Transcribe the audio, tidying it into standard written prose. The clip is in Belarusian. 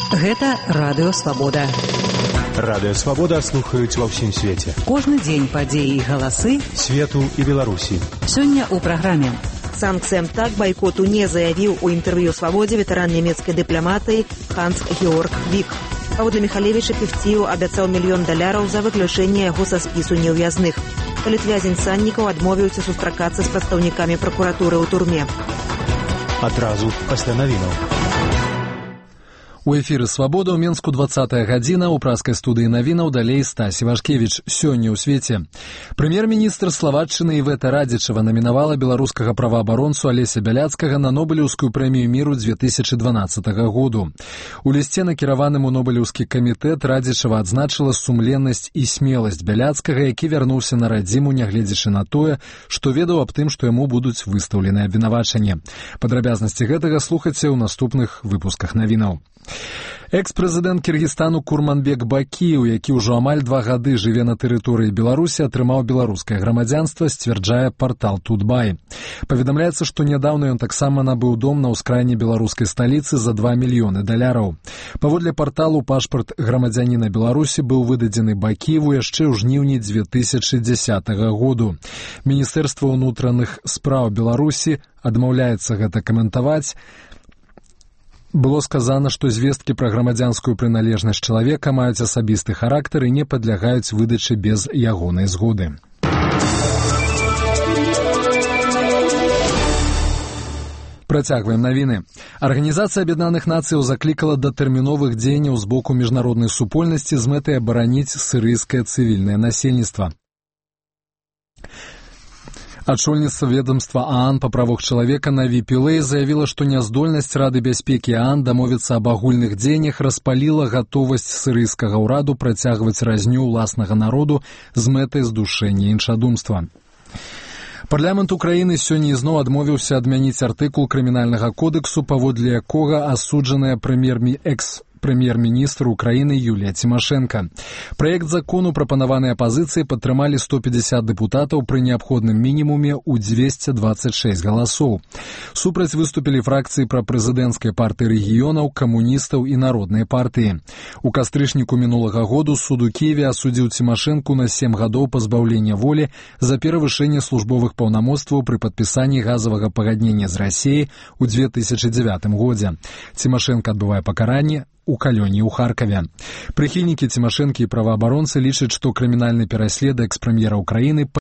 Гэта Радыё Свабода. Радыё Свабода слухаюць ва ўсім свеце. Кожны дзень падзеі і галасы свету і Беларусі. Сёння ў праграме. Санкт-Петербург бойкоту не заявіў у інтэрв'ю «Свабодзе» ветэран нямецкай дыпламатыі Ханс-Георг Вік. Паводле Міхалевіча Певціў абяцаў $1 мільён за выключэнне яго са спісу неўвязных. Палітвязень Саннікаў адмовіўся сустракацца з прадстаўнікамі пракуратуры ў турме. Адразу пасля навінаў. У эфіры «Свабода» ў Менску 20-я гадзіна, у праскай студыі навінаў далей Стась Івашкевіч. Сёння ў свеце. Прэм'ер-міністр Славатчыны Івета Радзічава намінавала беларускага праваабаронцу Алеся Бяляцкага на Нобелеўскую прэмію міру 2012 году. У лісце, накіраваным у Нобелеўскі камітэт, Радзічава адзначыла сумленнасць і смеласць Бяляцкага, які вярнуўся на радзіму, нягледзячы на тое, што ведаў аб тым, што яму будуць выстаўлены абвінавачанні. Падрабязнасці гэтага слухайце ў наступных выпусках навінаў. Экс-прэзідэнт Кіргізстану Курманбек Бакіеў, які ўжо амаль 2 гады жыве на тэрыторыі Беларусі, атрымаў беларускае грамадзянства, сцвярджае партал Тутбай. Паведамляецца, што нядаўна ён таксама набыў дом на ўскраіне беларускай сталіцы за $2 мільёны. Паводле парталу, пашпарт грамадзяніна Беларусі быў выдадзены Бакіеву яшчэ ў жніўні 2010 году. Міністэрства ўнутраных спраў Беларусі адмаўляецца гэта каментаваць. Было сказано, што звесткі пра грамадзянскую прыналежнасць чалавека маюць асабісты характар і не падлягаюць выдачы без ягонай згоды. Працягваем навіны. Арганізацыя Аб'яднаных Нацыяў заклікала да тэрміновых дзеянняў з боку міжнароднай супольнасці з мэтай абараніць сірыйскае цывільнае насельніцтва. Ачольніцтва ведомства ААН па правах чалавека Наві Пілэй заявіла, што няздольнасць Рады бяспекі ААН дамовіцца аб агульных дзеяннях распаліла гатовасць сірыйскага ўраду працягваць разню ўласнага народу з мэтай здушэння іншадумства. Парламент Украіны сёння ізноў адмовіўся адмяніць артыкул крымінальнага кодэксу, паводле якога асуджаная прэм'ер-міністр Украіны Юлія Цімашэнка. Праект закону, прапанаваны апазіцыяй, падтрымалі 150 дэпутатаў пры неабходным мінімуме ў 226 галасоў. Супраць выступілі фракцыі прапрэзідэнцкай партыі рэгіёнаў, камуністаў і народнай партыі. У кастрычніку мінулага году суд у Кіеве асудзіў Цімашэнку на 7 гадоў пазбаўлення волі за перавышэнне службовых паўнамоцтваў пры падпісанні газавага пагаднення з Расіяй у 2009 годзе. Цімашэнка адбывае пакаранне у калёні ў Харкаве. Прыхільнікі Цімашэнкі і праваабаронцы лічаць, што крымінальны пераслед экс-прэм'ера Украіны